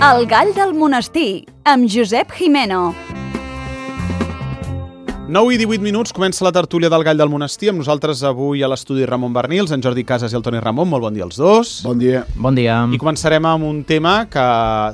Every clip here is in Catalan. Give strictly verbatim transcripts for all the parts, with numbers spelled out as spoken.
El gall del monestir, amb Josep Jimeno. nou i divuit minuts, comença la tertúlia del gall del monestir. Amb nosaltres avui a l'estudi Ramon Bernils, en Jordi Casas i el Toni Ramon. Molt bon dia als dos. Bon dia. Bon dia. I començarem amb un tema que,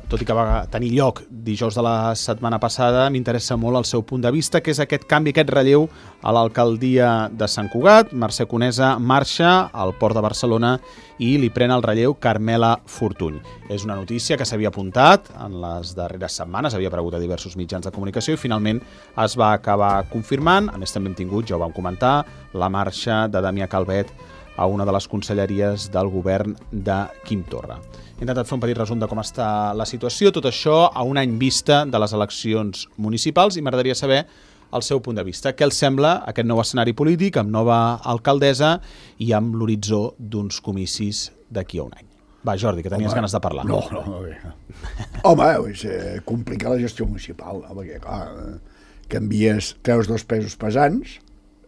tot i que va tenir lloc dijous de la setmana passada, m'interessa molt el seu punt de vista, que és aquest canvi, aquest relleu a l'alcaldia de Sant Cugat. Mercè Conesa marxa al Port de Barcelona i li pren el relleu Carmela Fortuny. És una notícia que s'havia apuntat en les darreres setmanes, havia aparegut a diversos mitjans de comunicació i finalment es va acabar confirmant. A més, també hem tingut, ja ho vam comentar, la marxa de Damià Calvet a una de les conselleries del govern de Quim Torra. He intentat fer un petit resum de com està la situació, tot això a un any vista de les eleccions municipals, i m'agradaria saber el seu punt de vista. Què els sembla aquest nou escenari polític, amb nova alcaldessa i amb l'horitzó d'uns comicis d'aquí a un any? Va, Jordi, que tenies Home, ganes de parlar. No, no, no. Bé. Home, és eh, complicar la gestió municipal, no? Perquè, clar, eh, canvies, treus dos pesos pesants,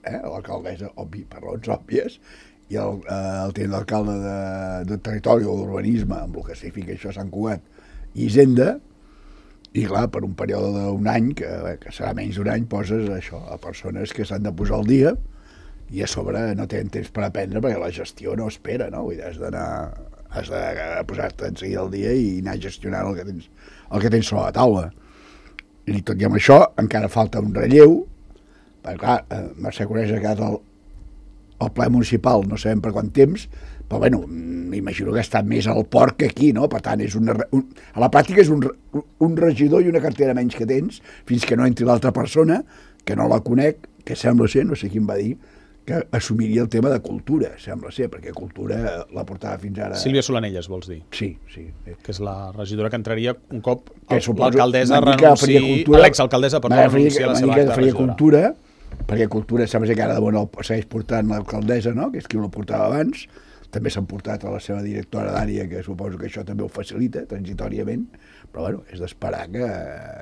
eh, l'alcaldessa, obvi, per raons òbvies, i el, eh, el tenent d'alcalde de, de territori o d'urbanisme, amb el que significa això a Sant Cugat, i Hisenda, i clar, per un període d'un any, que, que serà menys d'un any, poses això a persones que s'han de posar al dia i a sobre no tenen temps per aprendre perquè la gestió no espera, no? Vull dir, has d'anar, has de posar-te en seguida al dia i anar gestionant el que tens, el que tens sobre la taula. I tot i amb això encara falta un relleu, perquè clar, Mercè Conesa ha quedat al, al ple municipal no sabem per quant temps, però bueno, m'imagino que ha estat més al port que aquí, no? Per tant, és una, un, a la pràctica és un, un regidor i una cartera menys que tens, fins que no entri l'altra persona, que no la conec, que sembla ser, no sé qui em va dir, que assumiria el tema de cultura, sembla ser, perquè cultura la portava fins ara... Sílvia Solanelles, vols dir? Sí, sí. Que és la regidora que entraria un cop l'alcaldessa renunciï... L'exalcaldessa, perdó, renunciï a la seva acta de regidora. Cultura, perquè cultura sembla ser que ara de bon el segueix portant l'alcaldessa, no? Que és qui la portava abans. També s'han portat a la seva directora d'àrea, que suposo que això també ho facilita, transitòriament, però bueno, és d'esperar que,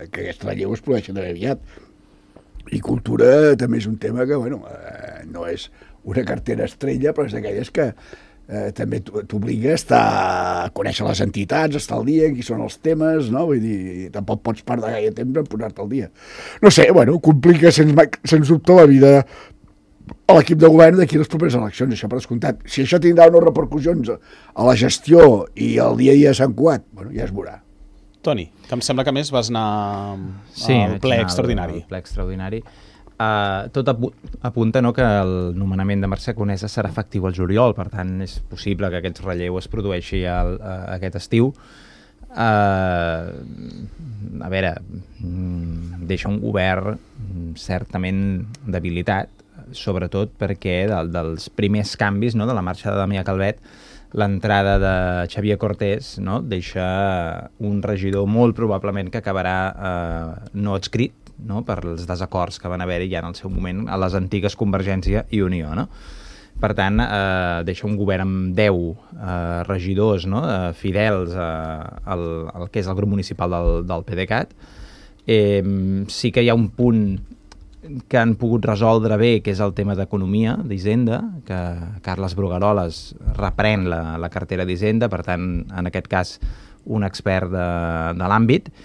que aquest relleu es produeixi també aviat. I cultura també és un tema que, bueno, eh, no és una cartera estrella, però és d'aquelles que eh, també t'obliga a estar a conèixer les entitats, a estar al dia, qui són els temes, no? Vull dir, tampoc pots perdre gaire temps en posar-te al dia. No sé, bueno, complica sens, sens dubte la vida a l'equip de govern d'aquí les properes eleccions, això per descomptat. Si això tindrà unes repercussions a la gestió i al dia a dia de Sant Cugat, bueno, ja es veurà. Toni, que em sembla que més vas anar sí, al ple extraordinari. Sí, al ple extraordinari. Uh, tot apu apunta, no, que el nomenament de Mercè Conesa serà efectiu al juliol, per tant és possible que aquest relleu es produeixi al, a, aquest estiu. Uh, a veure, deixa un govern certament debilitat, sobretot perquè del, dels primers canvis, no, de la marxa de Damià Calvet, l'entrada de Xavier Cortés, no, deixa un regidor molt probablement que acabarà eh, no adscrit, no, per els desacords que van haver-hi ja en el seu moment a les antigues Convergència i Unió, no? Per tant, eh, deixa un govern amb deu eh, regidors, no, eh, fidels eh, al, al que és el grup municipal del, del PDeCAT. Eh, sí que hi ha un punt que han pogut resoldre bé, que és el tema d'economia, d'Hisenda, que Carles Brugueroles reprèn la, la cartera d'Hisenda, per tant, en aquest cas, un expert de, de l'àmbit,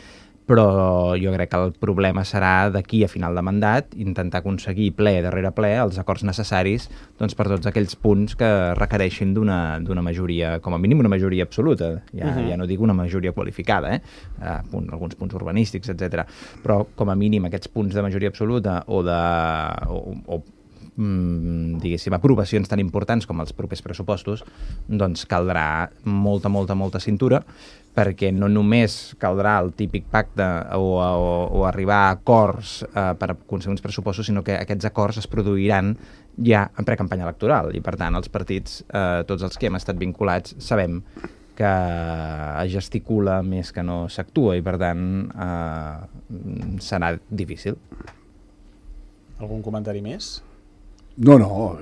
però jo crec que el problema serà d'aquí a final de mandat intentar aconseguir ple darrere ple els acords necessaris, doncs, per tots aquells punts que requereixin d'una d'una majoria, com a mínim una majoria absoluta, ja, uh-huh. ja no dic una majoria qualificada, eh? Uh, punt, alguns punts urbanístics, etcètera. Però com a mínim aquests punts de majoria absoluta o de... O, o, mm, diguéssim, aprovacions tan importants com els propers pressupostos, doncs caldrà molta, molta, molta cintura, perquè no només caldrà el típic pacte o, o, o arribar a acords eh, per aconseguir uns pressupostos, sinó que aquests acords es produiran ja en precampanya electoral i, per tant, els partits, eh, tots els que hem estat vinculats, sabem que es gesticula més que no s'actua i, per tant, eh, serà difícil. Algun comentari més? No, no,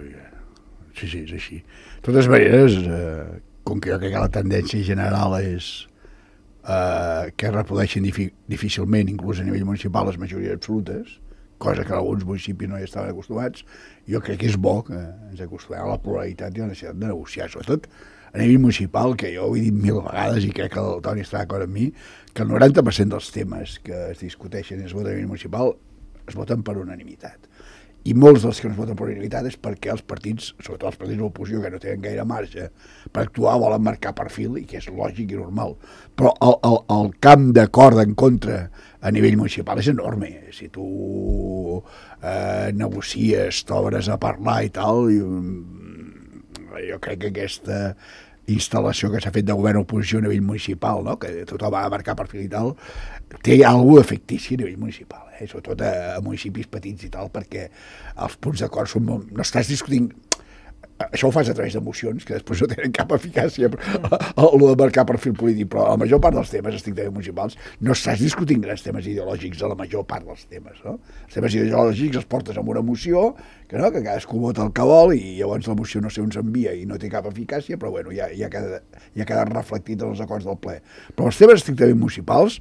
sí, sí, és així. De totes maneres, eh, com que jo crec que la tendència general és eh, que es reprodueixin difícilment, inclús a nivell municipal, les majories absolutes, cosa que alguns municipis no hi estaven acostumats. Jo crec que és bo que ens acostumem a la pluralitat i a la necessitat de negociar, sobretot a nivell municipal, que jo ho he dit mil vegades i crec que el Toni està d'acord amb mi, que el noranta per cent dels temes que es discuteixen i es voten a nivell municipal es voten per unanimitat. I molts dels que no es voten per unanimitat és perquè els partits, sobretot els partits de l'oposició, que no tenen gaire marge per actuar, volen marcar perfil, i que és lògic i normal. Però el, el, el camp d'acord en contra a nivell municipal és enorme. Si tu eh, negocies, t'obres a parlar i tal, jo, jo crec que aquesta instal·lació que s'ha fet de govern-oposició a nivell municipal, no? Que tothom va marcar perfil i tal, té alguna cosa fictici a nivell municipal, eh? Sobretot a, a municipis petits i tal, perquè els punts d'acord són molt... No estàs discutint... Això ho fas a través d'emocions, que després no tenen cap eficàcia, el de marcar perfil polític, però la major part dels temes estrictament municipals no estàs discutint grans temes ideològics a la major part dels temes, no? Els temes ideològics els portes amb una moció, que no, que cadascú vota el que vol, i llavors la moció no sé on s'envia i no té cap eficàcia, però bueno, ja, ja, queda, ja queda reflectit en els acords del ple. Però els temes estrictament municipals,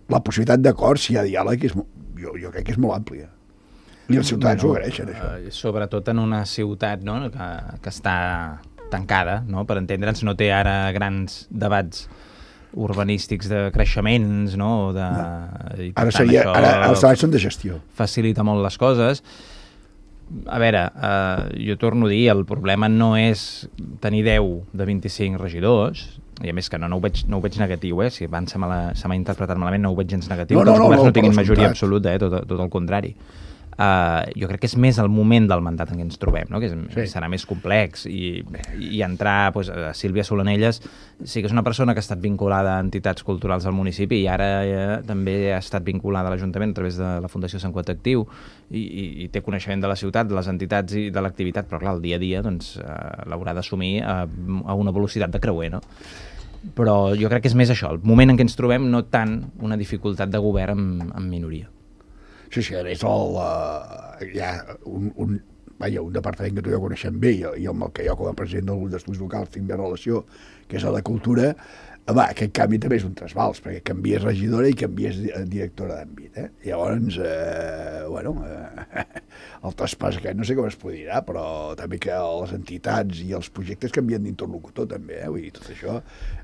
la possibilitat d'acord, si hi ha diàleg, és, jo, jo crec que és molt àmplia. I els ciutadans bueno, ho agraeixen, això. Uh, sobretot en una ciutat, no?, que, que està tancada, no?, per entendre'ns, no té ara grans debats urbanístics de creixements, no?, de... no. I ara, seria, ara els debats són de gestió. Facilita molt les coses. A veure, uh, jo torno a dir, el problema no és tenir deu de vint-i-cinc regidors, i a més que no, no, ho, veig, no ho veig negatiu, eh? Si abans se m'ha interpretat malament, no ho veig gens negatiu, no, no, que els governs no, no, no tinguin majoria absoluta, eh? tot, tot el contrari. Uh, jo crec que és més el moment del mandat en què ens trobem, no? Que és, sí. serà més complex, i, i entrar pues, a Sílvia Solanelles sí que és una persona que ha estat vinculada a entitats culturals del municipi i ara eh, també ha estat vinculada a l'Ajuntament a través de la Fundació Sant Quat Actiu i, i, i té coneixement de la ciutat, de les entitats i de l'activitat, però clar, el dia a dia doncs, uh, l'haurà d'assumir a, a una velocitat de creuer, no? Però jo crec que és més això, el moment en què ens trobem, no tant una dificultat de govern amb, amb minoria. Sí, sí, a més el, uh, hi ha un, un, vaja, un departament que tu ja coneixem bé i, i amb el que jo com a president del grup d'estudis locals tinc bé relació, que és el de Cultura. Home, aquest canvi també és un trasbals, perquè canvies regidora i canvies directora d'àmbit, eh? Llavors, eh, bueno, eh, el traspàs aquest no sé com es podrà, però també que les entitats i els projectes canvien d'interlocutor també, eh? Vull dir, tot això,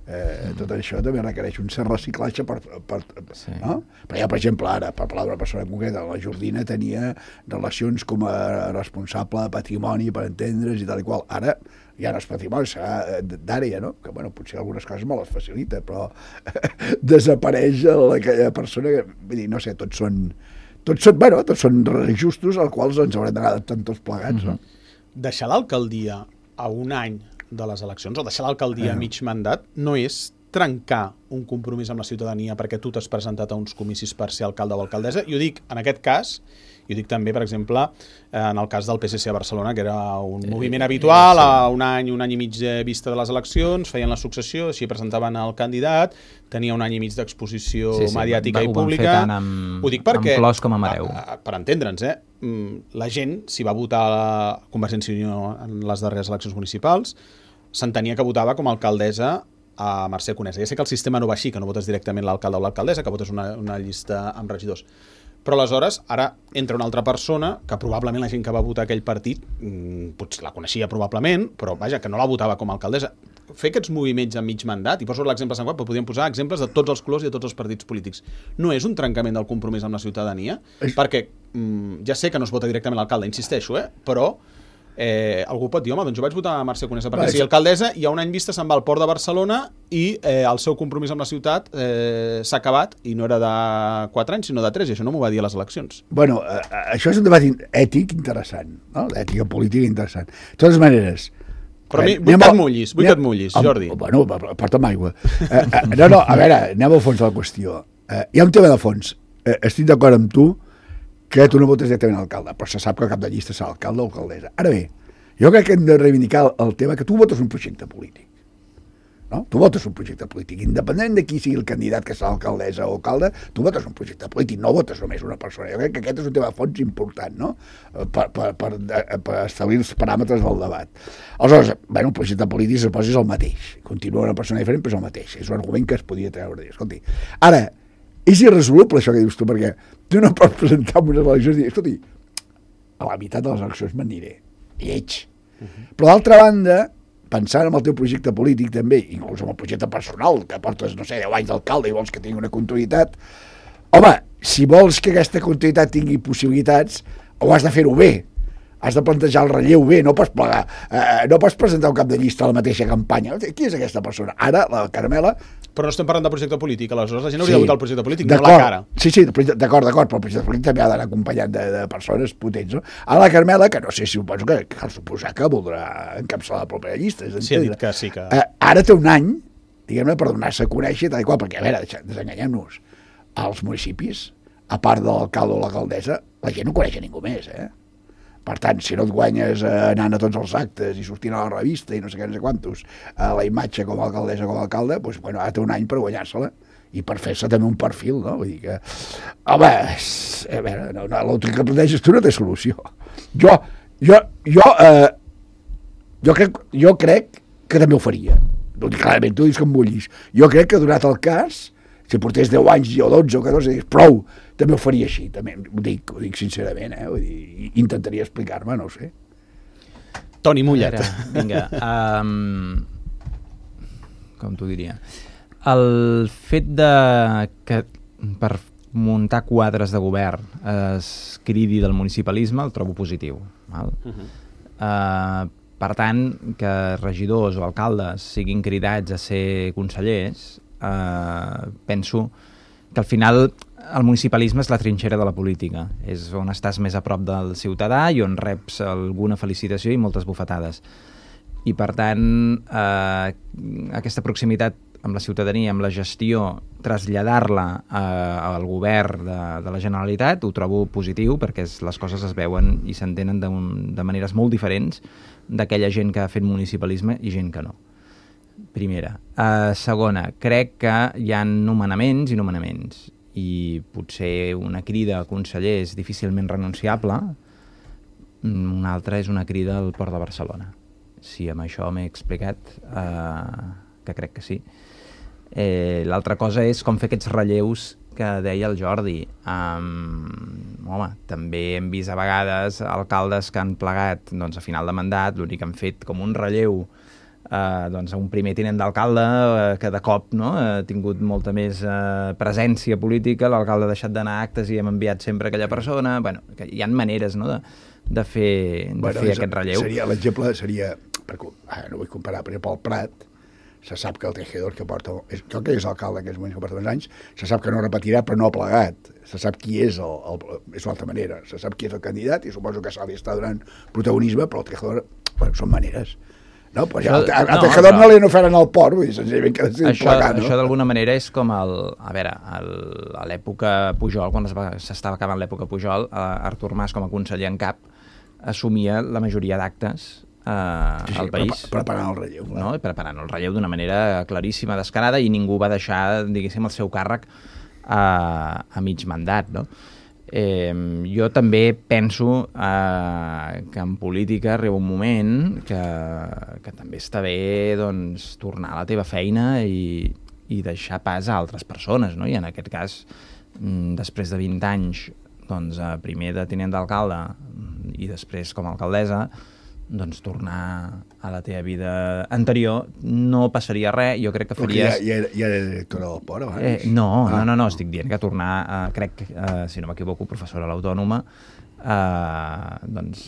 eh, tot això també requereix un cert reciclatge per, per, sí. no? Però ja, per exemple, ara, per parlar d'una persona concreta, la Jordina tenia relacions com a responsable de patrimoni, per entendre's i tal i qual. Ara, ja no és patrimoni, serà d'àrea, no? Que, bueno, potser algunes coses me les facilita, però desapareix aquella persona que, vull dir, no sé, tots són, tots són, bueno, tots són justos als quals ens haurem d'anar adaptant tots plegats, no? Deixar l'alcaldia a un any de les eleccions, o deixar l'alcaldia a mig mandat, no és trencar un compromís amb la ciutadania perquè tu t'has presentat a uns comicis per ser alcalde o alcaldessa. I ho dic, en aquest cas, i ho dic també, per exemple, en el cas del P S C a Barcelona, que era un moviment habitual, a un any, un any i mig de vista de les eleccions, feien la successió, així presentaven el candidat, tenia un any i mig d'exposició sí, sí, mediàtica va, i pública. Ho van fer tant amb, ho dic perquè, amb Clos com a Mareu. A, a, per entendre'ns, eh? La gent, si va votar a Convergència i Unió en les darreres eleccions municipals, s'entenia que votava com a alcaldessa a Mercè Conesa. Ja sé que el sistema no va així, que no votes directament l'alcalde o l'alcaldessa, que votes una, una llista amb regidors. Però aleshores, ara entra una altra persona que probablement la gent que va votar aquell partit mmm, potser la coneixia probablement, però vaja, que no la votava com a alcaldessa. Fer aquests moviments a mig mandat, i poso l'exemple de Sant Quat, però podríem posar exemples de tots els colors i de tots els partits polítics. No és un trencament del compromís amb la ciutadania, és... perquè mmm, ja sé que no es vota directament l'alcalde, insisteixo, eh? Però eh, algú pot dir, home, doncs jo vaig votar a Mercè Conesa perquè sigui alcaldessa, i a un any vista se'n va al Port de Barcelona i eh, el seu compromís amb la ciutat eh, s'ha acabat, i no era de quatre anys, sinó de tres, i això no m'ho va dir a les eleccions. Bueno, eh, això és un debat ètic interessant, no? L'ètica política interessant. De totes maneres... Però mi, vull que et mullis, vull que et mullis, Jordi. Bueno, porta'm aigua. Eh, eh, no, no, a veure, anem al fons de la qüestió. Eh, hi ha un tema de fons. Eh, estic d'acord amb tu que tu no votes directament a l'alcalde, però se sap que el cap de llista serà alcalde o alcaldessa. Ara bé, jo crec que hem de reivindicar el tema que tu votes un projecte polític. No? Tu votes un projecte polític. Independent de qui sigui el candidat que serà alcaldessa o alcalde, tu votes un projecte polític, no votes només una persona. Jo crec que aquest és un tema de fons important, no? Per, per, per, per establir els paràmetres del debat. Aleshores, bueno, un projecte polític suposa és el mateix. Continua una persona diferent, però és el mateix. És un argument que es podia treure. Escolti, ara, és irresoluble això que dius tu, perquè tu no pots presentar unes eleccions i dir, escolti, a la meitat de les eleccions m'aniré, lleig. Uh -huh. Però d'altra banda, pensant en el teu projecte polític també, inclús en el projecte personal, que portes, no sé, deu anys d'alcalde i vols que tingui una continuïtat, home, si vols que aquesta continuïtat tingui possibilitats, ho has de fer-ho bé, has de plantejar el relleu bé, no pots plegar, eh, no pots presentar un cap de llista a la mateixa campanya. Qui és aquesta persona? Ara, la Carmela... Però no estem parlant de projecte polític, aleshores la gent hauria Sí, de votar el projecte polític, no la cara. Sí, sí, d'acord, d'acord, però el projecte polític també ha d'anar acompanyat de, de persones potents, no? Ara la Carmela, que no sé si suposo que cal suposar que voldrà encapçalar la pròpia llista. És Sí, ha dit que sí que... Eh, ara té un any, diguem-ne, per donar-se a conèixer, tal i qual, perquè, a veure, desenganyem-nos, als municipis, a part de l'alcalde o l'alcaldessa, la gent no coneix a ningú més, eh? Per tant, si no et guanyes eh, anant a tots els actes i sortint a la revista i no sé què, no sé quantos, a la imatge com a alcaldessa o com a alcalde, doncs, bueno, ara té un any per guanyar-se-la i per fer-se també un perfil, no? Vull dir que, home, a veure, no, no, l'altre que planteges tu no té solució. Jo, jo, jo, eh, jo, crec, jo crec que també ho faria. No, clarament, tu dius que em bullis. Jo crec que, donat el cas, si portés deu anys o dotze o catorze, dius, prou, també ho faria així, també, ho dic, ho dic sincerament, eh? Vull dir, intentaria explicar-me, no ho sé. Toni Mullet. Vinga, um, com t'ho diria? El fet de que per muntar quadres de govern es cridi del municipalisme el trobo positiu. Val? Uh -huh. uh, per tant, que regidors o alcaldes siguin cridats a ser consellers, uh, penso que al final el municipalisme és la trinxera de la política, és on estàs més a prop del ciutadà i on reps alguna felicitació i moltes bufetades. I per tant, eh, aquesta proximitat amb la ciutadania, amb la gestió, traslladar-la eh, al govern de, de la Generalitat, ho trobo positiu perquè es, les coses es veuen i s'entenen de, de maneres molt diferents d'aquella gent que ha fet municipalisme i gent que no. Primera. Uh, segona, crec que hi ha nomenaments i nomenaments i potser una crida a conseller és difícilment renunciable, una altra és una crida al Port de Barcelona. Si amb això m'he explicat, uh, que crec que sí. Eh, L'altra cosa és com fer aquests relleus que deia el Jordi. Um, home, també hem vist a vegades alcaldes que han plegat doncs, a final de mandat, l'únic que han fet com un relleu Uh, doncs un primer tinent d'alcalde uh, que de cop no, ha tingut molta més uh, presència política, l'alcalde ha deixat d'anar a actes i hem enviat sempre aquella persona. Bueno, que hi ha maneres no, de, de fer, de bueno, fer és, aquest relleu. Seria, l'exemple seria, per, ah, no vull comparar, però pel Prat se sap que el tejedor que porta, és, crec que és l'alcalde que és que porta més anys, se sap que no repetirà però no ha plegat, se sap qui és el, el, és l'altra manera, se sap qui és el candidat i suposo que se li està donant protagonisme, però el tejedor, bueno, són maneres. No, pues ja, això, a, a no, Tejador no li n'oferen al port, vull dir, senzillament que decidim plegar, no? Això d'alguna manera és com el... A veure, el, a l'època Pujol, quan s'estava acabant l'època Pujol, Artur Mas, com a conseller en cap, assumia la majoria d'actes eh, sí, sí, al país. Preparant el relleu. Clar. No? Preparant el relleu d'una manera claríssima, descarada, i ningú va deixar, diguéssim, el seu càrrec a, a mig mandat, no? Eh, jo també penso eh, que en política arriba un moment que, que també està bé doncs, tornar a la teva feina i, i deixar pas a altres persones, no? I en aquest cas, després de vint anys, doncs, primer de tinent d'alcalde i després com a alcaldessa, doncs tornar a la teva vida anterior no passaria res, jo crec que faries... Ja, ja, ja era directora del Port abans? Eh, no, ah. no, no, no, estic dient que tornar, eh, crec, eh, si no m'equivoco, professora a l'Autònoma, eh, doncs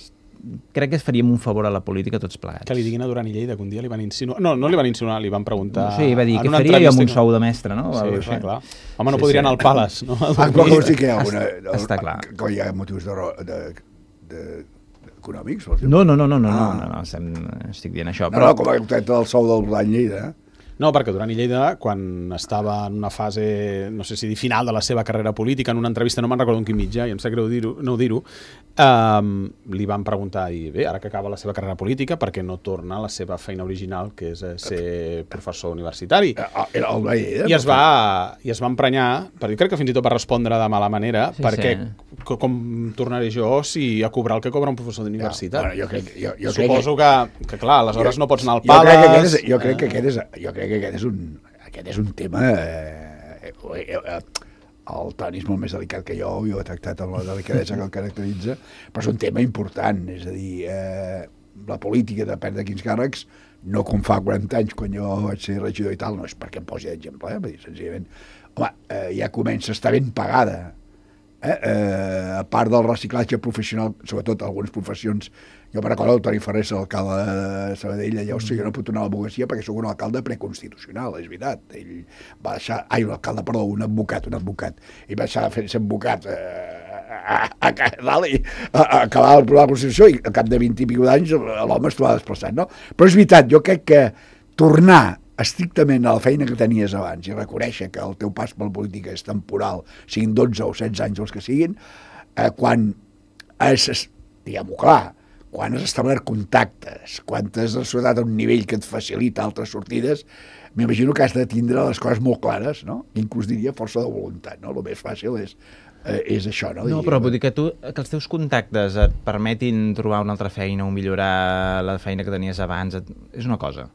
crec que faríem un favor a la política tots plegats. Que li diguin a Duran i Lleida que un dia li van insinuar... No, no li van insinuar, li van preguntar... Sí, va dir, què faria jo amb un sou de mestre, no? Sí, sí, clar. Home, no sí, podria sí. anar al Palace, no? Ah, però com sí que hi ha alguna... Està clar. Que hi ha motius de... de, de econòmics? No, no, no, no, no, ah. no, no, no, estic dient això. No, però... no, com el tret del sou del Duran Lleida, eh? No, perquè Duran i Lleida, quan estava en una fase, no sé si dir, final de la seva carrera política, en una entrevista, no me'n recordo en quin mitjà, i em sap greu dir-ho, no dir-ho, um, li van preguntar, i bé, ara que acaba la seva carrera política, per què no torna a la seva feina original, que és ser professor universitari? Era el Duran i Lleida? I es va, i es va emprenyar, perquè crec que fins i tot va respondre de mala manera, sí, perquè sí. com tornaré jo si a cobrar el que cobra un professor d'universitat? Ja, bueno, jo crec, jo, jo Suposo crec que, que, clar, aleshores jo, no pots anar al Palace... Jo crec que aquest és... Jo crec que aquest és un, aquest és un tema... Eh, eh, eh, el Toni és molt més delicat que jo, jo he tractat amb la delicadesa que el caracteritza, però és un tema important, és a dir, eh, la política depèn de quins càrrecs, no com fa quaranta anys quan jo vaig ser regidor i tal, no és perquè em posi d'exemple, eh? Vull dir, senzillament, home, eh, ja comença a estar ben pagada, eh? Eh, a part del reciclatge professional, sobretot algunes professions. Jo me recordo el Toni Ferrer, l'alcalde de Sabadell, allà, hosti, jo no puc tornar a l'advocacia perquè sóc un alcalde preconstitucional, és veritat. Ell va deixar, ai, un alcalde, perdó, un advocat, un advocat, i va deixar de fer ser advocat eh, a, a, a, dalt, i a, a acabar el programa de la Constitució, i al cap de vint i pico d'anys l'home es trobava desplaçat, no? Però és veritat, jo crec que tornar estrictament a la feina que tenies abans i reconèixer que el teu pas per la política és temporal, siguin dotze o setze anys els que siguin, eh, quan has, diguem-ho clar, quan has establert contactes, quan has assolat a un nivell que et facilita altres sortides, m'imagino que has de tindre les coses molt clares, no? Inclús diria força de voluntat, no? El més fàcil és, eh, és això, no? No, però vull dir que tu, que els teus contactes et permetin trobar una altra feina o millorar la feina que tenies abans, et, és una cosa.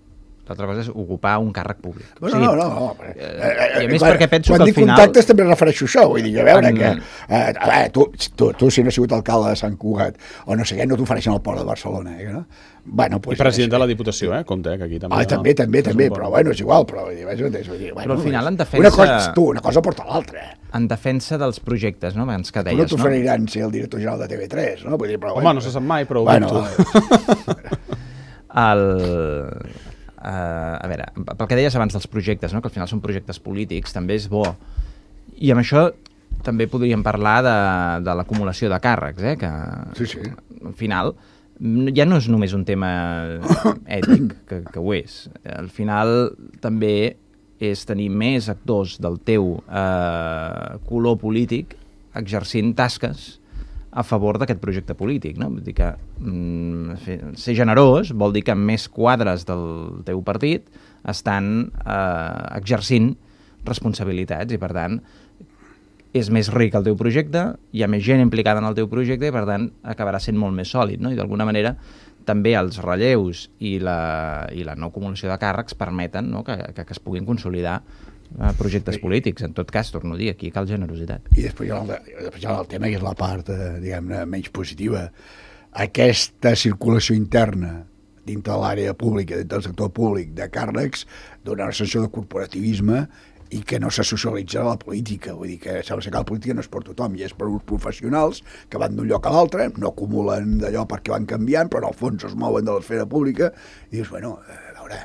L'altra cosa és ocupar un càrrec públic. Bueno, o sigui, no, no, no. Eh, eh, I a més clar, perquè penso quan que al dic final... contactes també refereixo això, vull dir, a veure en... que... Eh, a veure, tu, tu, tu si no has sigut alcalde de Sant Cugat, o no sé què, no t'ofereixen al port de Barcelona, eh, no? Bueno, pues, I president de la Diputació, eh? Compte, eh, que aquí també... Ah, també, també, també, però bueno, és igual, però vull dir, vull dir, bueno, però al final, en defensa... Una cosa, tu, una cosa porta l'altra. En defensa dels projectes, no? Abans que Tu deies, no t'oferiran no? ser el director general de T V tres, no? Vull dir, però, home, bueno, no se sap mai, però ho bueno, dubto. El... Uh, a veure, pel que deies abans dels projectes, no? Que al final són projectes polítics, també és bo. I amb això també podríem parlar de, de l'acumulació de càrrecs, eh? Que sí, sí. Al final ja no és només un tema ètic, que, que ho és. Al final també és tenir més actors del teu eh, color polític exercint tasques a favor d'aquest projecte polític, no? Vull dir que mm, ser generós vol dir que més quadres del teu partit estan eh, exercint responsabilitats i, per tant, és més ric el teu projecte, hi ha més gent implicada en el teu projecte i, per tant, acabarà sent molt més sòlid, no? I d'alguna manera també els relleus i la, i la no acumulació de càrrecs permeten, no? que, que, que es puguin consolidar projectes polítics. En tot cas, torno a dir, aquí cal generositat. I després hi ha el, després hi ha el tema, que és la part, eh, diguem-ne, menys positiva. Aquesta circulació interna dintre de l'àrea pública, dintre del sector públic, de càrrecs, dona una sensació de corporativisme i que no se socialitza a la política. Vull dir que sembla que la política no és per tothom, i és per uns professionals que van d'un lloc a l'altre, no acumulen d'allò perquè van canviant, però en el fons es mouen de l'esfera pública, i dius, bueno, a veure...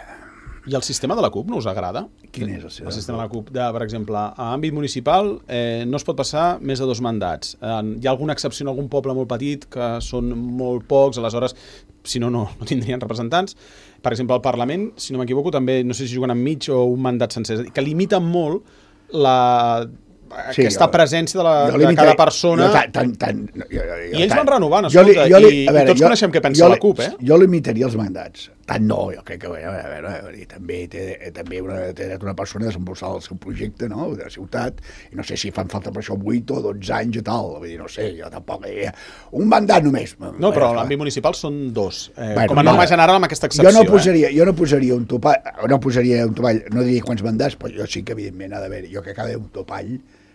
I el sistema de la CUP no us agrada? Quin és el sistema? El sistema de la CUP, de, per exemple, a àmbit municipal eh, no es pot passar més de dos mandats. Eh, hi ha alguna excepció en algun poble molt petit, que són molt pocs, aleshores, si no, no, no tindrien representants. Per exemple, al Parlament, si no m'equivoco, també, no sé si juguen amb mig o un mandat sencer, que limiten molt la... Sí, aquesta jo, presència de, la, de cada persona, jo, tan, tan, jo, jo, jo, i ells tan, van renovant, escolta, jo li, jo li, i, veure, i tots jo, coneixem què pensa la CUP, eh? Jo limitaria els mandats, tant no, jo crec que a veure, a veure, a veure, també té, també una, té una persona a desenvolupar el seu projecte, no?, de la ciutat, i no sé si fan falta per això vuit o dotze anys i tal, vull dir, no sé, jo tampoc, eh, un mandat només. No, però a l'àmbit municipal són dos, eh, bueno, com a norma general amb aquesta excepció. Jo no posaria, eh? jo no posaria un topall, no posaria un topall, no diria quants mandats, però jo sí que evidentment ha d'haver, jo crec que ha d'haver un topall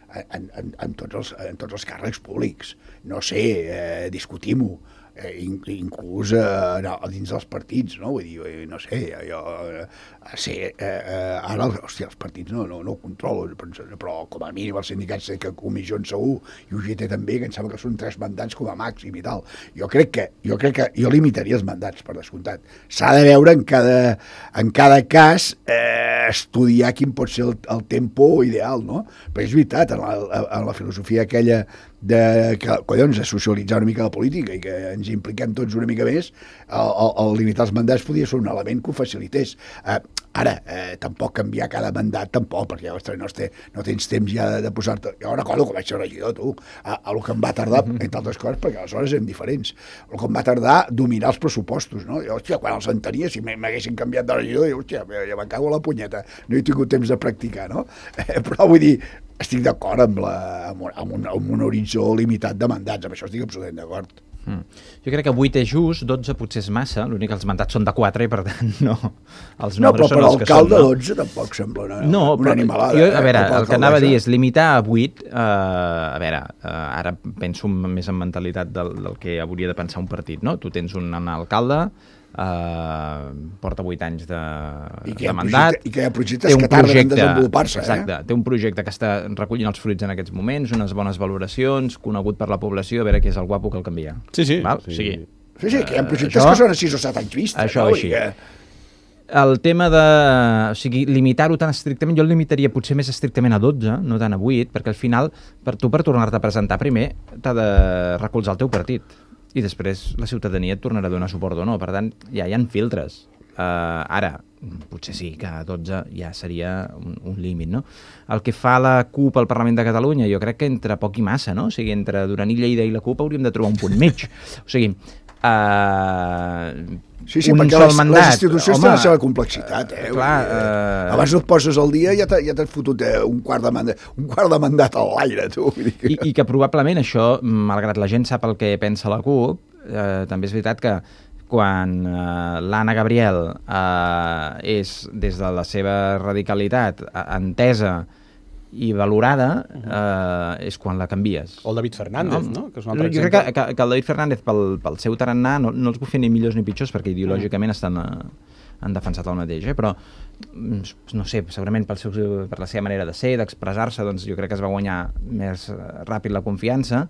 En, en, en, tots els, en tots els càrrecs públics. No sé, eh, discutim-ho, eh, inclús eh, no, dins dels partits, no? Vull dir, no sé, jo... Eh, sí, eh, eh, ara, hòstia, els partits no, no, no ho controlo, però com a mínim els sindicats sé que comissions segur, i U G T també, que em sembla que són tres mandats com a màxim i tal. Jo crec que jo, crec que, jo limitaria els mandats, per descomptat. S'ha de veure en cada, en cada cas eh, estudiar quin pot ser el, el tempo ideal, no? Però és veritat, en la, en la filosofia aquella de, que, collons, de socialitzar una mica la política i que ens impliquem tots una mica més, el, el, el limitar els mandats podia ser un element que ho facilités. Eh, ara, eh, tampoc canviar cada mandat, tampoc, perquè ostres, no, té, no tens temps ja de, de posar-te... Jo recordo que vaig ser regidor, tu, a, a lo que em va tardar, entre altres coses, perquè aleshores eren diferents, el que em va tardar dominar els pressupostos, no? Jo, hòstia, quan els entenia, si m'haguessin canviat de regidor, jo, hòstia, ja me'n cago a la punyeta, no he tingut temps de practicar, no? Eh, però vull dir, estic d'acord amb, la, amb, un, amb, un, amb un horitzó limitat de mandats, amb això estic absolutament d'acord. Mm. Jo crec que vuit és just, dotze potser és massa, l'únic que els mandats són de quatre i per tant no, els no, nombres són els que són. No, però per l'alcalde dotze tampoc sembla una, no, una però, animalada. Jo, a veure, eh, el que anava a dir és limitar a vuit, eh, a veure, eh, ara penso més en mentalitat del, del que hauria de pensar un partit, no? Tu tens un alcalde, eh, porta vuit anys de, de mandat, projecte, i que hi ha projectes que tarden en desenvolupar-se. Exacte, eh? té un projecte que està recollint els fruits en aquests moments, unes bones valoracions, conegut per la població, a veure qui és el guapo que el canvia. Sí, sí. Val? sí. O sigui, Sí, sí, que hi ha projectes això, que són a sis o set anys vista. Això no? així. Que... El tema de... O sigui, limitar-ho tan estrictament, jo el limitaria potser més estrictament a dotze, no tant a vuit, perquè al final, per tu per tornar-te a presentar primer, t'ha de recolzar el teu partit. I després la ciutadania et tornarà a donar suport o no. Per tant, ja hi ha filtres. Uh, ara, potser sí que a dotze ja seria un, un límit, no? El que fa la CUP al Parlament de Catalunya, jo crec que entre poc i massa, no? O sigui, entre Duran i Lleida i la CUP hauríem de trobar un punt mig. O sigui, Uh, sí, sí, un perquè sol les, mandat, les institucions home, tenen la seva complexitat. Eh? Clar, uh, abans no et poses al dia i ja t'has ja fotut eh, un, quart de mandat, un quart de mandat a l'aire, tu. Vull dir que... I, I que probablement això, malgrat la gent sap el que pensa la CUP, eh, també és veritat que quan eh, l'Anna Gabriel eh, és, des de la seva radicalitat, entesa i valorada, eh, és quan la canvies. O el David Fernández, no? no? Que és un altre jo exemple. crec que, que, que el David Fernández, pel, pel seu tarannà, no, no els vull fer ni millors ni pitjors, perquè ideològicament estan, eh, han defensat el mateix, eh? Però, no sé, segurament pel seu, per la seva manera de ser, d'expressar-se, doncs jo crec que es va guanyar més ràpid la confiança,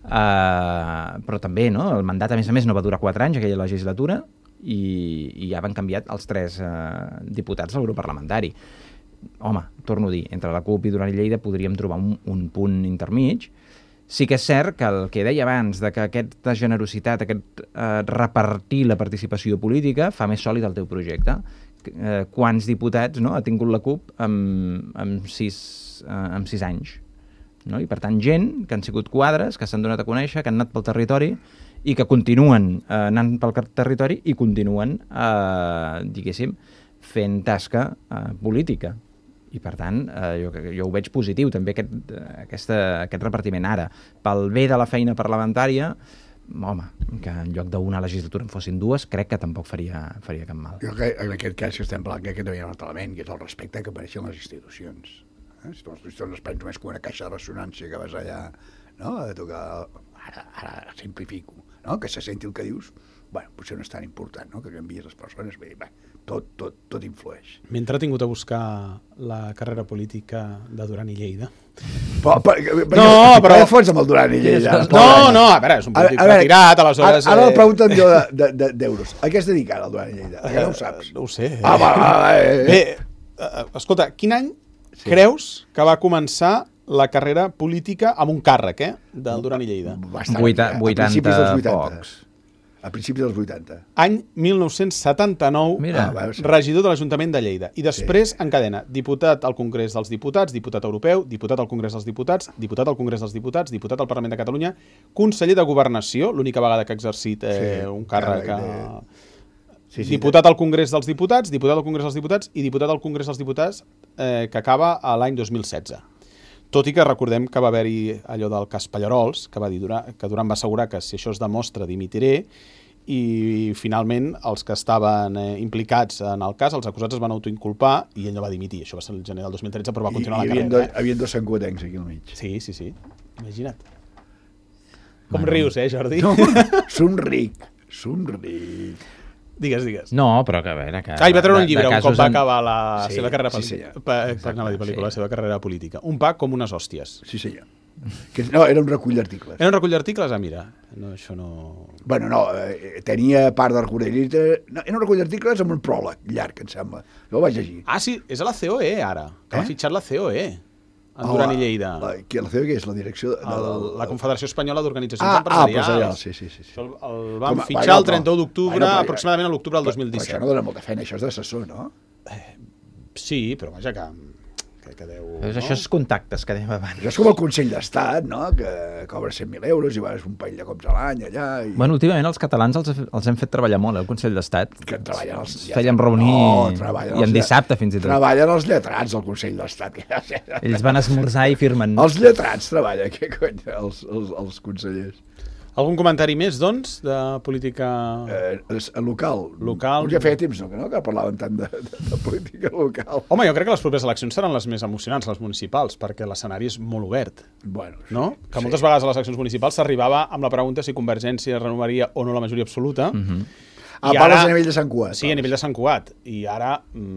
eh, però també, no? El mandat, a més a més, no va durar quatre anys, aquella legislatura, i, i ja van canviat els tres eh, diputats del grup parlamentari. Home, torno a dir, entre la CUP i Duran i Lleida podríem trobar un, un punt intermig. Sí que és cert que el que deia abans, de que aquesta generositat, aquest eh, repartir la participació política fa més sòlid el teu projecte. Eh, quants diputats, no, ha tingut la CUP amb, amb, sis, eh, amb sis anys? No? I per tant, gent que han sigut quadres, que s'han donat a conèixer, que han anat pel territori i que continuen eh, anant pel territori i continuen, eh, diguéssim, fent tasca eh, política. I per tant, eh, jo, jo ho veig positiu també aquest, aquesta, aquest repartiment ara. Pel bé de la feina parlamentària, home, que en lloc d'una legislatura en fossin dues, crec que tampoc faria, faria cap mal. Jo crec que en aquest cas que estem parlant que també hi ha un altre element, que és el respecte que mereixen les institucions. Eh? Si tu les institucions les prens només com una caixa de ressonància que vas allà, no? A tocar, ara, ara simplifico, no? Que se senti el que dius, bueno, potser no és tan important, no? Que canvies les persones, bé, bé, tot, tot, tot influeix. M'he entretingut a buscar la carrera política de Duran i Lleida. Però, però, no, però... No fons amb el Duran i Lleida. No, no, a veure, és un polític retirat, aleshores... Ara, ara el pregunten jo d'euros. De, de, a què es dedica ara el Duran i Lleida? Que no ho saps. No ho sé. Ah, va, va, va, eh. Bé, uh, escolta, quin any sí. creus que va començar la carrera política amb un càrrec, eh, del Duran i Lleida? Bastant, Vuita, a vuitanta pocs. A principis dels vuitanta. Any mil nou-cents setanta-nou, Mira. Ah, regidor de l'Ajuntament de Lleida. I després, sí. encadena, diputat al Congrés dels Diputats, diputat europeu, diputat al Congrés dels Diputats, diputat al Congrés dels Diputats, diputat al Parlament de Catalunya, conseller de Governació, l'única vegada que ha exercit eh, sí, un càrrec... De... Sí, sí, diputat al Congrés dels Diputats, diputat al Congrés dels Diputats i diputat al Congrés dels Diputats eh, que acaba a l'any dos mil setze. Tot i que recordem que va haver-hi allò del cas Pallarols, que va dir Duran, que Duran va assegurar que si això es demostra dimitiré, i finalment els que estaven eh, implicats en el cas, els acusats es van autoinculpar i ell no va dimitir. Això va ser el gener del dos mil tretze, però va continuar I, la carrera. Hi havia dos sancotencs aquí al mig. Sí, sí, sí. Imagina't. Com bueno. rius, eh, Jordi? No, somric, somric. Digues, digues. No, però que a veure... Que ah, i va treure un llibre un cop va en... acabar la sí, seva carrera sí, sí, pa, Exacte, pa, pel·lícula, sí. la seva carrera política. Un pa com unes hòsties. Sí, senyor. Que, no, era un recull d'articles. Era un recull d'articles? Ah, mira, no, això no... Bueno, no, eh, tenia part del recull d'articles... No, era un recull d'articles amb un pròleg llarg, em sembla. Jo ho vaig llegir. Ah, sí, és a la C O E, ara. Que eh? l'ha fitxat la C O E. En oh, Duran i Lleida. La, la, la C O E és la direcció... De, el, el, la Confederació Espanyola d'Organitzacions ah, Empresarials. Ah, sí, sí, sí. sí. Això el, el van Com, fitxar bueno, el trenta-u d'octubre, bueno, aproximadament a l'octubre del dos mil disset. Però això no dona molta feina, això és d'assessor, no? Eh, sí, però vaja que... que, que deu, no? Això és contactes que dèiem abans. Això és com el Consell d'Estat, no? Que cobra cent mil euros i vas un parell de cops a l'any allà. I... Bueno, últimament els catalans els, els hem fet treballar molt, eh, el Consell d'Estat. Que treballen els... Ja, fèiem reunir no, i en dissabte fins i tot. Treballen els lletrats del Consell d'Estat. Ells van esmorzar i firmen. Els lletrats treballen, què cony, els, els, els consellers. Algun comentari més, doncs, de política eh, local? Local. Ja feia temps, no, que, no, que parlàvem tant de, de, de política local. Home, jo crec que les properes eleccions seran les més emocionants, les municipals, perquè l'escenari és molt obert. Bueno, no? sí, que moltes sí. vegades a les eleccions municipals s'arribava amb la pregunta si Convergència renovaria o no la majoria absoluta. Mm-hmm. Ah, parles a nivell de Sant Cugat. Sí, a nivell de Sant Cugat. I ara,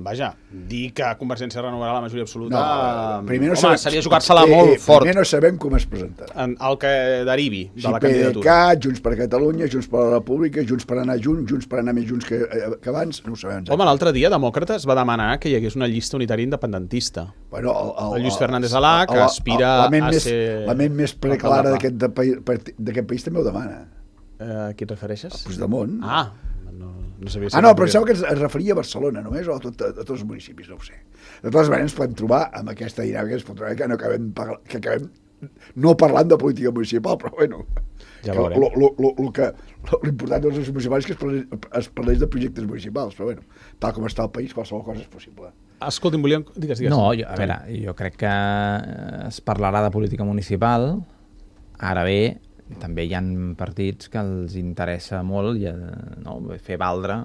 vaja, dir que Convergència renovarà la majoria absoluta... No, primer no home, sabem, seria jugar-se-la molt eh, fort. Primer no sabem com es presentarà. En el que derivi de si la candidatura. P D C, Junts per Catalunya, Junts per la República, Junts per anar junts, Junts per anar més junts que, que abans, no ho sabem. Home, l'altre dia Demòcrates va demanar que hi hagués una llista unitària independentista. Bueno, el, el, el Lluís Fernández Alà, que aspira el, el, a més, ser... La ment més preclara d'aquest país també ho demana. Eh, a qui et refereixes? A Puigdemont. Ah, no, no sabia si... Ah, no, però pensava que es, es referia a Barcelona només o a, tot, a, a tots els municipis, no ho sé. De totes maneres ens podem trobar amb aquesta dinàmica que ens pot trobar que no acabem, que acabem no parlant de política municipal, però bueno, ja lo, lo, lo, lo, lo que l'important dels municipals és que es parlés, es parlés de projectes municipals, però bueno, tal com està el país, qualsevol cosa és possible. Escolti'm, volíem... Digues, digues. No, jo, a veure, jo crec que es parlarà de política municipal, ara bé, també hi ha partits que els interessa molt ja, no, fer valdre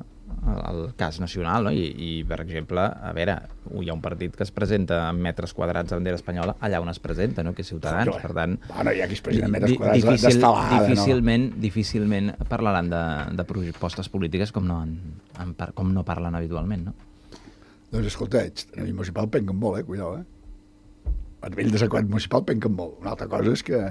el, el cas nacional, no? I, i, per exemple, a veure, hi ha un partit que es presenta en metres quadrats de bandera espanyola allà on es presenta, no? Que és Ciutadans, no, per tant... Bueno, hi ha qui es presenta en metres di, quadrats difícil, d'estelada, difícilment, no? Difícilment parlaran de, de propostes polítiques com no, en, en, com no parlen habitualment, no? Doncs escolta, a nivell municipal penquen molt, eh? Cuidao, eh? A nivell de Sant municipal penquen molt. Una altra cosa és que...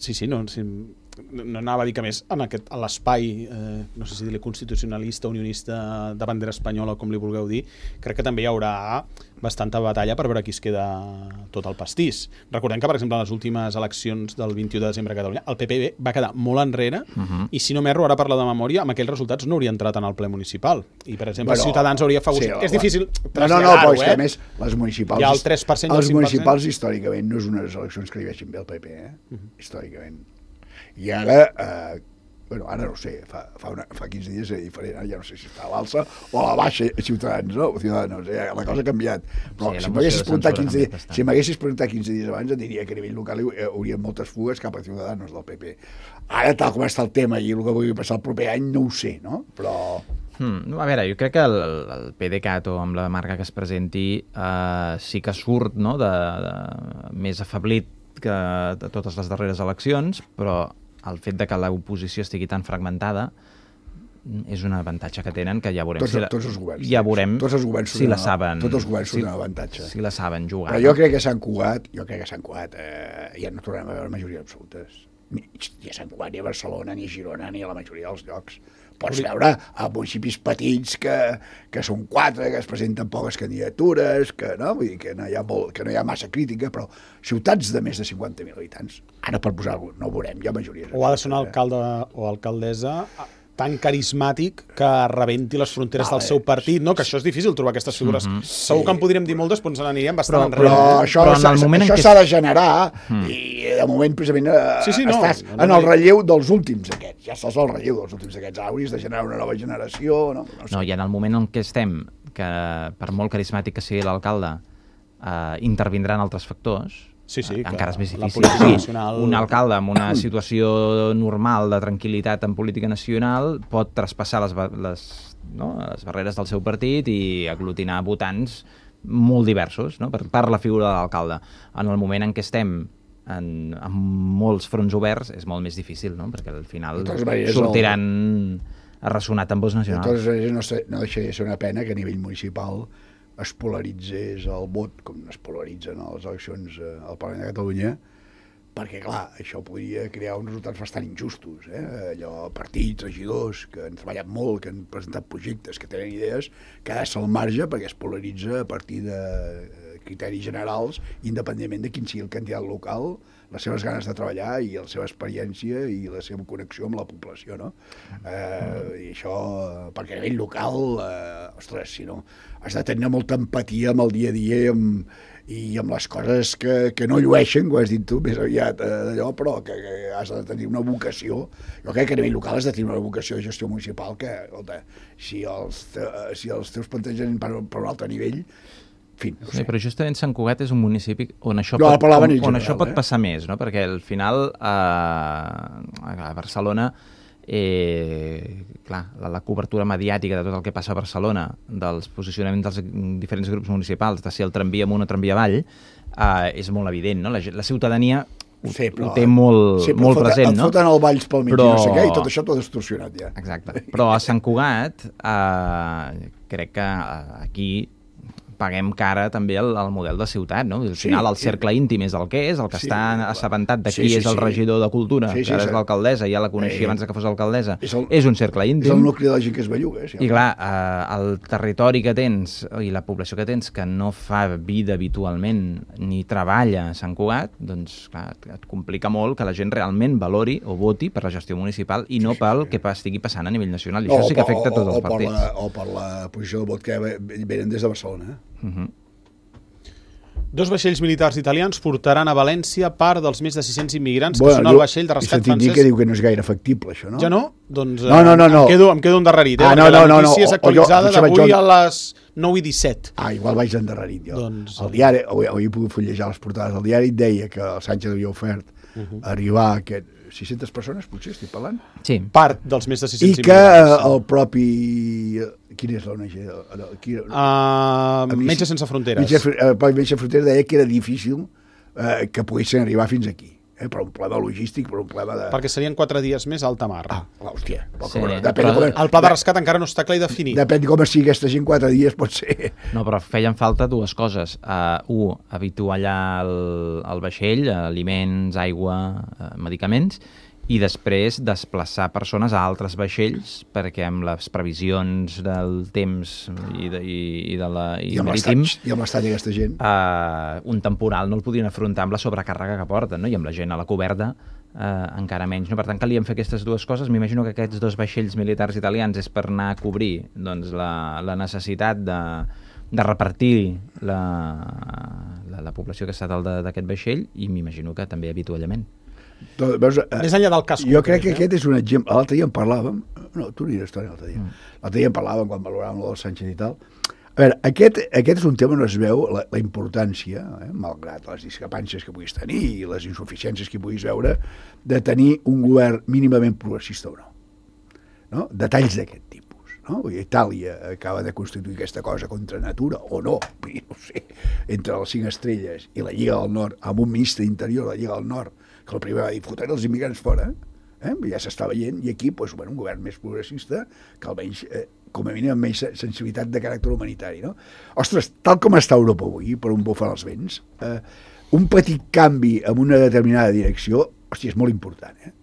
Sí, sí, no, sí, no anava a dir que més en, aquest, en l'espai, eh, no sé si dir-li constitucionalista, unionista de bandera espanyola, com li vulgueu dir, crec que també hi haurà bastanta batalla per veure qui es queda tot el pastís. Recordem que, per exemple, en les últimes eleccions del vint-i-u de desembre a Catalunya, el P P va quedar molt enrere uh -huh. i, si no m'erro, ara parla de memòria, amb aquells resultats no hauria entrat en el ple municipal. I, per exemple, bueno, Ciutadans hauria favorit. Sí, és difícil traslladar-ho, no, no, no, però és eh? que, a més, les municipals... Hi ha el tres per cent i el els cinc per cent. municipals, històricament, no és unes eleccions que li vegin bé al P P, eh? Uh -huh. Històricament. I ara, eh, bueno, ara no sé, fa, fa, una, fa quinze dies era diferent, ara ja no sé si està a l'alça o a la baixa, Ciutadans, no? Ciutadans, eh? La cosa ha canviat. Però sí, si m'haguessis preguntat quinze dies, si m'haguessis preguntat quinze dies abans, et diria que a nivell local hi hauria moltes fugues cap a Ciutadans del P P. Ara, tal com està el tema i el que vulgui passar el proper any, no ho sé, no? Però... Hmm, a veure, jo crec que el, el PDeCAT o amb la marca que es presenti eh, sí que surt, no?, de, de, més afeblit que de totes les darreres eleccions, però el fet de que l'oposició estigui tan fragmentada és un avantatge que tenen, que ja veurem tots, si la, tots els governs, ja veurem tots els governs si la saben, tots els governs si, són un avantatge. Si la saben jugar. Però jo crec que Sant Cugat, jo crec que Sant Cugat eh, ja no tornarem a veure majoria absolutes. Ni, ni a Sant Cugat, ni a Barcelona, ni a Girona, ni a la majoria dels llocs. Pots veure a municipis petits que, que són quatre, que es presenten poques candidatures, que no, vull dir que no hi ha, molt, que no hi ha massa crítica, però ciutats de més de cinquanta mil habitants, ara per posar alguna, no ho veurem, hi ha majories. O ha de ser un alcalde o alcaldessa tan carismàtic que rebenti les fronteres vale. del seu partit, no? Que això és difícil trobar aquestes figures. Mm -hmm. Segur sí. que en podríem dir moltes, però ens n'aniríem bastant però, enrere. Però això, però en el moment això en què... s'ha de generar mm. i de moment precisament eh, sí, sí, no, estàs no, no, en no, el relleu dels últims aquests. Ja estàs al relleu dels últims aquests. Hauries de generar una nova generació. No, no, sé. no i en el moment en què estem, que per molt carismàtic que sigui l'alcalde, eh, intervindran altres factors, sí, sí, encara és més difícil. Sí, un alcalde amb una situació normal de tranquil·litat en política nacional pot traspassar les, les, no, les barreres del seu partit i aglutinar votants molt diversos, no? per, per la figura de l'alcalde. En el moment en què estem en, en molts fronts oberts és molt més difícil, no? Perquè al final sortiran el... a ressonar tambors nacionals. De totes maneres, no, sé, no deixaria de ser una pena que a nivell municipal es polaritzés el vot, com es polaritzen a les eleccions al Parlament de Catalunya, perquè, clar, això podria crear uns resultats bastant injustos. Eh? Allò, partits, regidors, que han treballat molt, que han presentat projectes, que tenen idees, quedar-se al marge perquè es polaritza a partir de criteris generals, independentment de quin sigui el candidat local, les seves ganes de treballar i la seva experiència i la seva connexió amb la població, no? Eh, I això, perquè a nivell local, eh, ostres, si no, has de tenir molta empatia amb el dia a dia i amb, i amb les coses que, que no llueixen, com has dit tu, més aviat eh, d'allò, però que, que has de tenir una vocació. Jo crec que a nivell local has de tenir una vocació de gestió municipal que, escolta, si els, te, si els teus plantejaments per, per un altre nivell, fin, no Sí, sé. però justament Sant Cugat és un municipi on això, No, pot, parlaven on, en on general, això pot eh? passar més, no? Perquè al final eh, a Barcelona eh, clar, la, la cobertura mediàtica de tot el que passa a Barcelona, dels posicionaments dels diferents grups municipals, de si el tramvia amunt o tramvia avall, eh, és molt evident, no? La, gent- la ciutadania ho, Sí, però, ho té molt, sí, però molt foten, present, et no? foten el Valls pel mig Però- i no sé què, i tot això t'ho ha distorsionat ja. Exacte. Però a Sant Cugat eh, crec que eh, aquí paguem cara també el, el model de ciutat, no? Al Sí, final el sí. cercle íntim és el que és, el que Sí, està clar. assabentat de Sí, qui sí, és el sí. regidor de Cultura, Sí, sí, que ara és sí. l'alcaldessa, ja la coneixia Eh, abans de que fos alcaldessa, és el- és un cercle És el íntim. nucli de la gent que es belluga. Sí, I clar, eh, el territori que tens i la població que tens que no fa vida habitualment ni treballa a Sant Cugat, doncs clar, et, et complica molt que la gent realment valori o voti per la gestió municipal i no pel que pa- estigui passant a nivell nacional. I això sí que afecta a tots els o, per partits. la, o per la posició de vot que venen des de Barcelona. Eh? Uh -huh. Dos vaixells militars italians portaran a València part dels més de sis-cents immigrants que Bueno, són jo el vaixell de he rescat sentit dir francès. que diu que no és gaire factible, això, no? Ja no? Doncs No, no, no, no. Em, quedo, em quedo endarrerit, eh? Ah, no, perquè la no, no, notícia no. és O- o jo- actualitzada potser vaig d'avui jo- a les nou i disset. Ah, igual vaig endarrerit jo. Doncs- El diari, avui, avui he pogut fullejar les portades, el diari et deia que el Sánchez havia ofert uh -huh. arribar a aquest sis-centes persones, potser estic parlant, Sí. Part dels més de i sis-cents que eh, immigrants. el propi... Quina és l'O N G? El- el- qui- Uh, Metges sense fronteres. Metges, el propi Metges Fronteres deia que era difícil eh, que poguessin arribar fins aquí, eh, per un problema logístic, per un problema de... Perquè serien quatre dies més a alta mar. Ah, clar, hòstia. Sí, Sí, bueno, depèn, però- de com, El pla de rescat encara no està clar i definit. depèn de com sigui aquesta gent, quatre dies pot ser... No, però feien falta dues coses. Uh, un, habituallar el, el vaixell, aliments, aigua, uh, medicaments, i després desplaçar persones a altres vaixells perquè amb les previsions del temps i, de, i, i, de la, i, I amb marítim l'estany, i amb l'estany aquesta gent. uh, un temporal no el podien afrontar amb la sobrecàrrega que porten, no? I amb la gent a la coberta uh, encara menys. No? Per tant, calien fer aquestes dues coses. M'imagino que aquests dos vaixells militars italians és per anar a cobrir doncs, la, la necessitat de, de repartir la, la, la població que està dalt de- d'aquest vaixell i m'imagino que també avituallament. Doncs, veus, eh, Més enllà del cas jo concret, crec que eh? aquest és un exemple. L'altre dia en parlàvem, no, tu aniràs història l'altre dia, mm. l'altre dia en parlàvem quan valoràvem el Sánchez i tal. A veure, aquest, aquest és un tema on es veu la, la importància, eh, malgrat les discrepàncies que puguis tenir i les insuficiències que puguis veure, de tenir un govern mínimament progressista o no. No? Detalls d'aquest tipus. No? Vull dir, Itàlia acaba de constituir aquesta cosa contra natura, o no, vull dir, no sé, entre les cinc estrelles i la Lliga del Nord, amb un ministre d'interior de la Lliga del Nord, que el primer va dir, fotent els immigrants fora, eh? ja s'està veient, i aquí doncs, bueno, un govern més progressista, que almenys, eh, com a mínim, amb menys sensibilitat de caràcter humanitari. No? Ostres, tal com està Europa avui, per on bufen els vents, eh, un petit canvi en una determinada direcció, hòstia, és molt important, eh?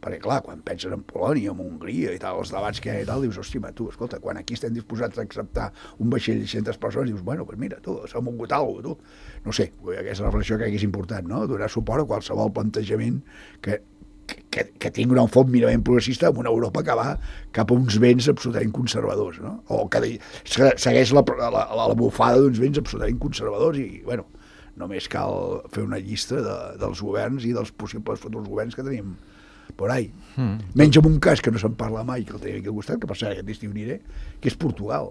Perquè, clar, quan penses en Polònia, en Hongria i tal, els debats que hi ha i tal, dius, hòstia, tu, escolta, quan aquí estem disposats a acceptar un vaixell de sis-centes persones, dius, bueno, pues mira, tu, s'ha mogut alguna cosa, tu. No sé, aquesta reflexió crec que és important, no? Donar suport a qualsevol plantejament que, que, que tingui un fons mínimament progressista en una Europa que va cap a uns vents absolutament conservadors, no? O que segueix la, la, la, la bufada d'uns vents absolutament conservadors i, bueno, només cal fer una llista de, dels governs i dels possibles futurs governs que tenim por ahí. Mm. Menys en un cas que no se'n parla mai, que el tenim aquí al costat, que per cert aquest estiu aniré, que és Portugal.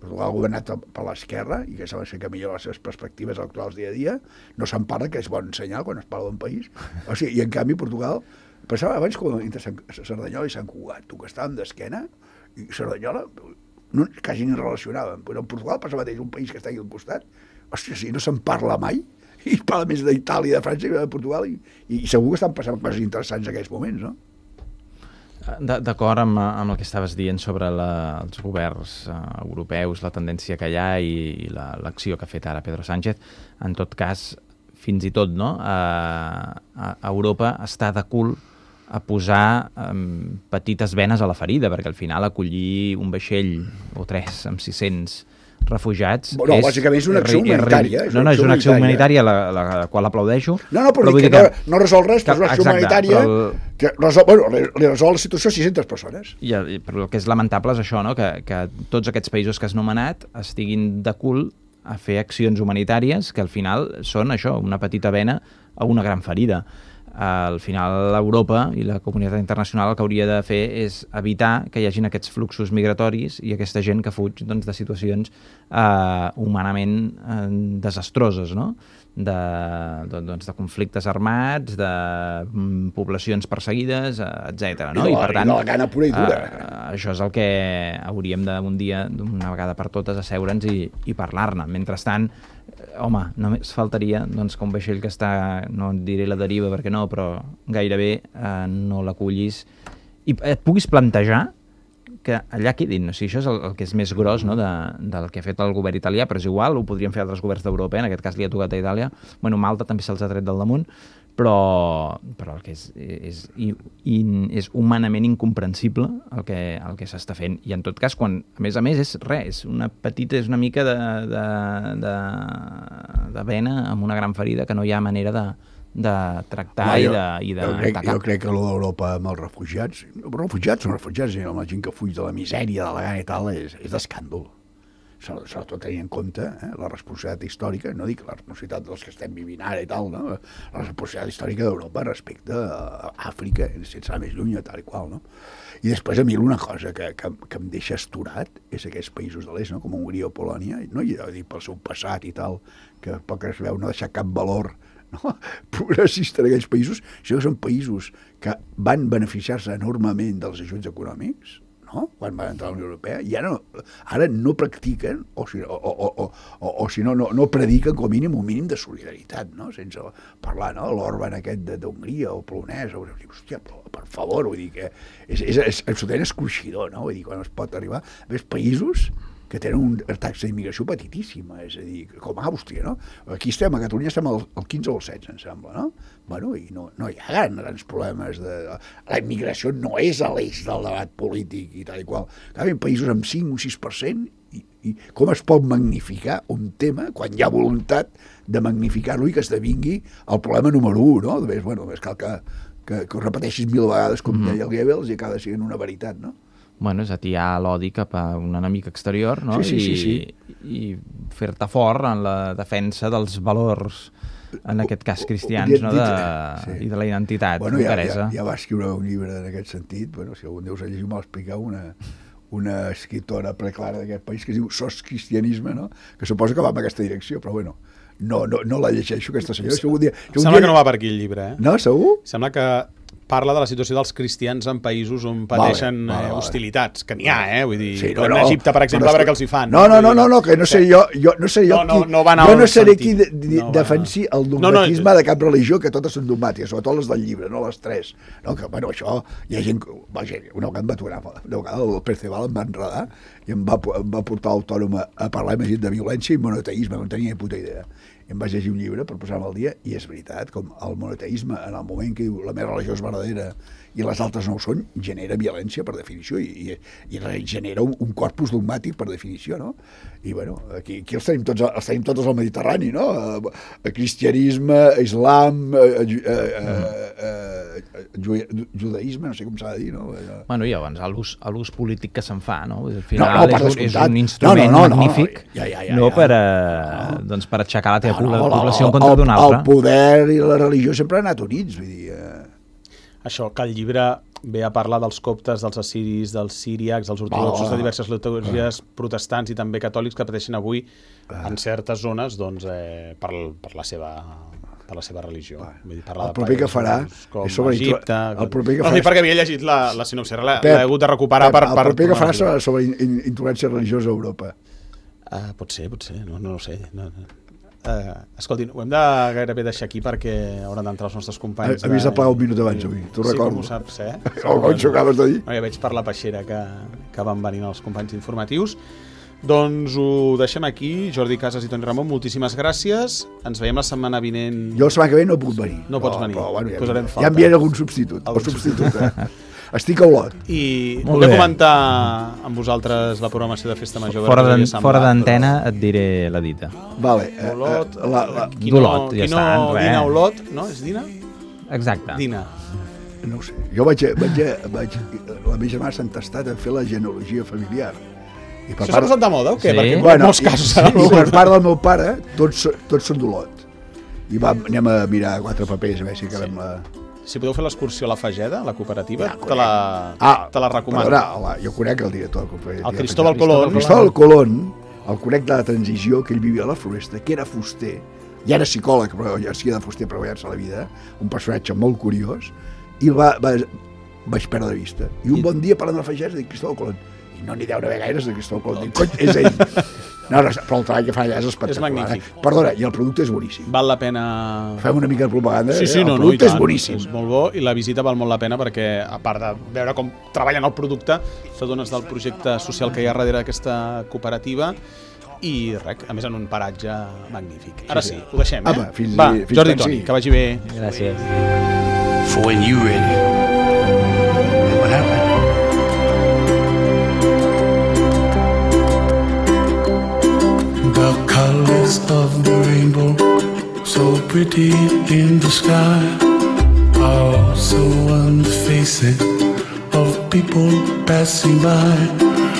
Portugal ha governat per l'esquerra i que sembla que millora les seves perspectives actuals dia a dia. No se'n parla, que és bon senyal quan es parla d'un país. O sigui, i en canvi Portugal passava abans com entre Cerdanyola i Sant Cugat, tu que estàvem d'esquena, i Cerdanyola no, quasi ni relacionàvem. Però en Portugal passa mateix, un país que està aquí al costat, hòstia, si no se'n parla mai, i parla més d'Itàlia, de França i de Portugal, i, i segur que estan passant coses interessants en aquests moments, no? D'acord amb, amb el que estaves dient sobre la, els governs uh, europeus, la tendència que hi ha i, i l'acció la, que ha fet ara Pedro Sánchez, en tot cas, fins i tot, no? Uh, a, a Europa està de cul a posar um, petites venes a la ferida, perquè al final acollir un vaixell o tres amb sis-cents refugiats... No, és, bàsicament és una acció és, humanitària. És no, no, és una acció humanitària, la, la, la qual aplaudeixo. No, no, però, però que, que no, no resol res, però és una acció exacte, humanitària el... que resol, bueno, li, li resol la situació a sis-centes persones. I, però el que és lamentable és això, no? que, que tots aquests països que has nomenat estiguin de cul a fer accions humanitàries que al final són això, una petita vena a una gran ferida. al final Europa i la comunitat internacional el que hauria de fer és evitar que hi hagin aquests fluxos migratoris i aquesta gent que fuig doncs, de situacions eh, humanament eh, desastroses, no? de, doncs, de conflictes armats, de mm, poblacions perseguides, etcètera. No? I, de la, I per tant, i de la gana pura i dura. Eh, això és el que hauríem d'un dia, d'una vegada per totes, asseure'ns i, i parlar-ne. Mentrestant, home, només faltaria doncs, que un vaixell que està, no diré la deriva perquè no, però gairebé eh, no l'acullis i et puguis plantejar que allà quedin. O sigui, això és el, el que és més gros, no, de, del que ha fet el govern italià, però és igual, ho podrien fer altres governs d'Europa, en aquest cas li ha tocat a Itàlia. Bueno, Malta també se'ls ha tret del damunt, però, però el que és, és, és, és humanament incomprensible el que, el que s'està fent. I en tot cas, quan, a més a més, és res, és una petita, és una mica de, de, de, de vena amb una gran ferida que no hi ha manera de, de tractar no, jo, i de, i de jo crec, atacar. Jo crec que allò d'Europa amb els refugiats, els refugiats són refugiats, i amb la gent que fuig de la misèria, de la gana i tal, és, és d'escàndol. Sobretot tenint en compte eh, la responsabilitat històrica, no dic la responsabilitat dels que estem vivint ara i tal, no? La responsabilitat històrica d'Europa respecte a Àfrica, sense anar més lluny, tal i qual, no? I després a mi una cosa que, que, que em deixa asturat és aquests països de l'est, no? Com Hongria o Polònia, no? I dir pel seu passat i tal, que pel que es veu no deixar cap valor no? progressista en aquells països, sinó que són països que van beneficiar-se enormement dels ajuts econòmics, no? Quan van entrar a la Unió Europea, i ara no, ara no practiquen, o si, o, o, o, o, o si no, no, no prediquen com a mínim un mínim de solidaritat, no? Sense parlar, no? L'Orban aquest d'Hongria o polonès, o, hòstia, però, per favor, vull dir que és, és, és absolutament escorxidor, no? Vull dir, quan es pot arribar a més països que tenen una taxa d'immigració petitíssima, és a dir, com a Àustria, no? Aquí estem, a Catalunya estem al, al quinze o al setze, em sembla, no? Bueno, i no, no hi ha grans, grans problemes de... La immigració no és a l'eix del debat polític i tal i qual. En països amb cinc o sis per cent, i, i com es pot magnificar un tema quan hi ha voluntat de magnificar-lo i que esdevingui el problema número un, no? Només, bueno, només cal que, que, que ho repeteixis mil vegades, com mm-hmm. deia el Goebbels, i acaba sent una veritat, no? Bueno, és atiar l'odi cap a un enemic exterior, no? Sí, sí, sí, sí. I, i fer-te fort en la defensa dels valors, en aquest cas cristians, no? De, sí. I de la identitat bueno, ja, hongaresa. Ja, ja va escriure un llibre en aquest sentit, bueno, si algun dia us ha llegit, m'ha explicat una, una escriptora preclara d'aquest país que es diu Sos Cristianisme, no? Que suposa que va en aquesta direcció, però bueno, no, no, no la llegeixo, aquesta senyora. Si algun dia, si algun Sembla dia... que no va per aquí el llibre, eh? No, segur? Sembla que parla de la situació dels cristians en països on pateixen vale, vale, vale. hostilitats, que n'hi ha, eh? Vull dir, sí, no, no, Egipte, per exemple, a veure què els hi fan. No, no, no, no, no que no seré jo, jo no seré jo no, no, qui, no va jo no seré qui de, de, no defensi el dogmatisme no, no, de cap religió, que totes són dogmàtiques, sobretot les del llibre, no les tres. No, que, bueno, això, hi ha gent... Vaja, una vegada em va aturar, una vegada el Perceval em va enredar i em va, em va portar l'autònom a, a parlar més de violència i monoteisme, no tenia ni puta idea. Em vaig llegir un llibre per posar-me al dia i és veritat, com el monoteisme, en el moment que diu la meva religió és verdadera i les altres no ho són, genera violència per definició i, i, i genera un, un corpus dogmàtic per definició, no? I bueno, aquí, aquí els, tenim tots, els tenim tots al Mediterrani, no? Eh, cristianisme, islam, eh, eh, eh, eh, judaïsme, no sé com s'ha de dir, no? Bueno, i llavors, a l'ús polític que se'n fa, no? Al final no, no, és, un, és un instrument no, no, no, magnífic, no, ja, ja, ja, no per, a, no. Doncs per aixecar la teva no, no, població en contra d'una altra. El poder i la religió sempre han anat units, vull dir... Eh... Això, que el llibre ve a parlar dels coptes, dels assiris, dels síriacs, dels ortodoxos, de diverses liturgies protestants i també catòlics que pateixen avui en certes zones doncs, eh, per, per, la seva, per la seva religió. Vull dir, el proper que farà és sobre Egipte. El proper que farà... No, perquè havia llegit la, la sinopsi, l'he hagut de recuperar per... El proper que farà serà sobre intolerància religiosa a Europa. Uh, pot ser, pot ser, no, no ho sé. No, no. Uh, escolti, ho hem de gairebé deixar aquí perquè hauran d'entrar els nostres companys. Havies de plegar un minut abans avui, t'ho sí, recordo. Sí, com ho saps, eh? O com ho acabes de dir. No, ja veig per la peixera que, que van venint els companys informatius. Doncs ho deixem aquí. Jordi Casas i Toni Ramon, moltíssimes gràcies. Ens veiem la setmana vinent. Jo la setmana que ve no puc venir. No pots venir. Però, bueno, ja, Posarem ja enviaré algun substitut. Algun o substitut, eh? Estic a Olot. I volia comentar amb vosaltres la programació de Festa Major. Fora d'antena et diré la dita. Vale. Olot, eh, la, la... D'Olot, ja està. Dina Olot, no? És Dina? Exacte. Dina. No ho sé. Jo vaig, vaig, vaig, la meva germana s'ha entestat a fer la genealogia familiar. I per Això s'ha posat de moda o què? Sí. Perquè en bueno, molts casos... I, i per part del meu pare, tots, tots són d'Olot. I vam, anem a mirar quatre papers a veure si acabem sí. la... Si podeu fer l'excursió a la Fageda, la cooperativa, Ja, te la, ah, te la recomano. Perdona, jo conec el director de la cooperativa. El Cristóbal Colón. El Cristóbal Colón, el conec de la transició, que ell vivia a la Floresta, que era fuster, ja era psicòleg, però ja sí de fuster per guanyar-se la vida, un personatge molt curiós, i el va, va, vaig perdre de vista. I un bon dia parlant de la Fageda dic Cristóbal Colón. I no n'hi deu haver gaires de Cristóbal Colón. Dic, cony, és ell. No, no, però el treball que fa allà és espectacular. És magnífic. Eh? Perdona, i el producte és boníssim. Val la pena... Fem una mica de propaganda. Sí, sí, eh? no, el no, producte i tant. és boníssim. És molt bo i la visita val molt la pena perquè, a part de veure com treballen el producte, t'adones del projecte social que hi ha darrere d'aquesta cooperativa i res, a més en un paratge magnífic. Ara sí, ho deixem, eh? Apa, fins, Va, fins Jordi tant, Toni, sí. que vagi bé. Gràcies. For when you ready. What happened? The colors of the rainbow, so pretty in the sky, are also on the faces of people passing by.